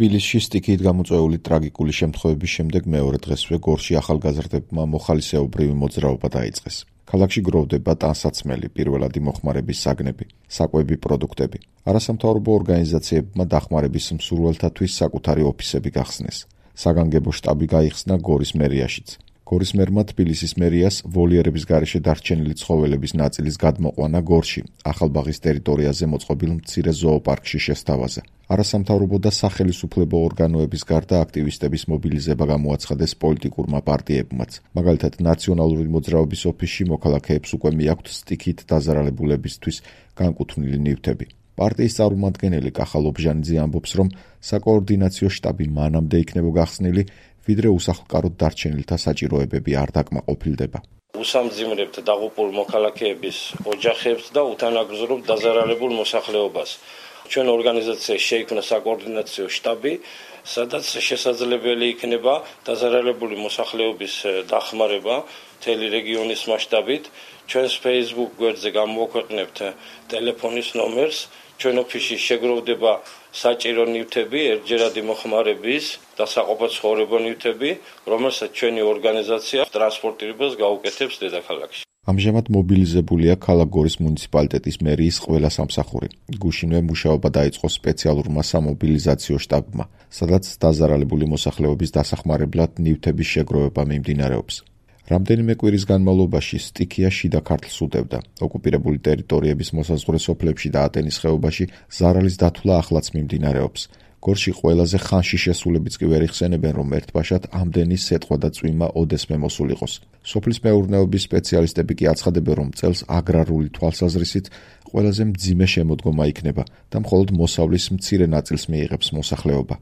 თბილისში სტიქიით გამოწვეული ტრაგიკული შემთხვევების შემდეგ მეორე დღესვე გორში ახალგაზრდებმა მოხალისეობრივი მოძრაობა დაიწყეს. ქალაქში გროვდება ტანსაცმელი, პირველადი მოხმარების საგნები, საკვები პროდუქტები. არასამთავრობო ორგანიზაციებმა დახმარების მსურველთათვის საკუთარი ოფისები გახსნეს. საგანგებო შტაბი გაიხსნა გორის მერიაშიც. გორის მერმა თბილისის მერიას ვოლიერების გარეშე დარჩენილი ცხოველების ნაწილის გადმოყვანა გორში, ახალბაღის ტერიტორიაზე მოწყობილ მცირე ზოოპარკში შესთავაზა. არასამთავრობო და სახელისუფლებო ორგანოების გარდა აქტივისტების მობილიზება გამოაცხადეს პოლიტიკურმა პარტიებმაც. მაგალითად, ნაციონალური მოძრაობის ოფისში მოქალაქეებს უკვე მიაქვთ სტიქით დაზარალებულებისთვის განკუთვნილი ნივთები. პარტიის წარმომადგენელი კახალ ობჟანიძე ამბობს, რომ საკოორდინაციო შტაბი მანამდე იქნება გახსნილი, ვიდრე უსახლკაროდ დარჩენილთა საჭიროებები არ დაკმაყოფილდება. უსამძიმრებთ დაღუპულ მოქალაქეების ოჯახებს და უთანაგზავრებთ დაზარალებულ მოსახლეობას. ჩვენ ორგანიზაციაში შეიქმნა საკოორდინაციო შტაბი, სადაც შესაძლებელი იქნება დაზარალებული მოსახლეობის დახმარება მთელი რეგიონის მასშტაბით. ჩვენს Facebook გვერდზე გამოვაქვეყნებთ ტელეფონის ნომერს. ჩვენ ოფისში შეგროვდება საჭირო ნივთები, ერთჯერადი მოხმარების და საყოფაცხოვრებო ნივთები, რომელსაც ჩვენი ორგანიზაცია ტრანსპორტირებას გაუკეთებს დედაქალაქში. ამჟამად მობილიზებულია ქალაქ გორის მუნიციპალიტეტის მერიის ყველა სამსახური. გუშინვე მუშაობა დაიწყო სპეციალურმა სამობილიზაციო შტაბმა, სადაც დაზარალებული მოსახლეობის დასახმარებლად ნივთების შეგროვება მიმდინარეობს. რამდენიმე კვირის განმავლობაში სტიქია შიდა ქართლს უდევდა. ოკუპირებული ტერიტორიების მოსაზღვრე სოფლებში და ატენის ხეობაში ზარალის დათვლა ახლაც მიმდინარეობს. გორში ყველაზე ხანში შესულებიც კი ვერ იხსენებენ, რომ ერთბაშად ამდენი სეტყვა და წვიმა ოდესმე მოსულ იყოს. სოფლის მეურნეობის სპეციალისტები კი აცხადებენ, რომ წელს აგრარული თვალსაზრისით ყველაზე მძიმე შემოდგომა იქნება და მხოლოდ მოსავლის მცირე ნაწილს მიიღებს მოსახლეობა.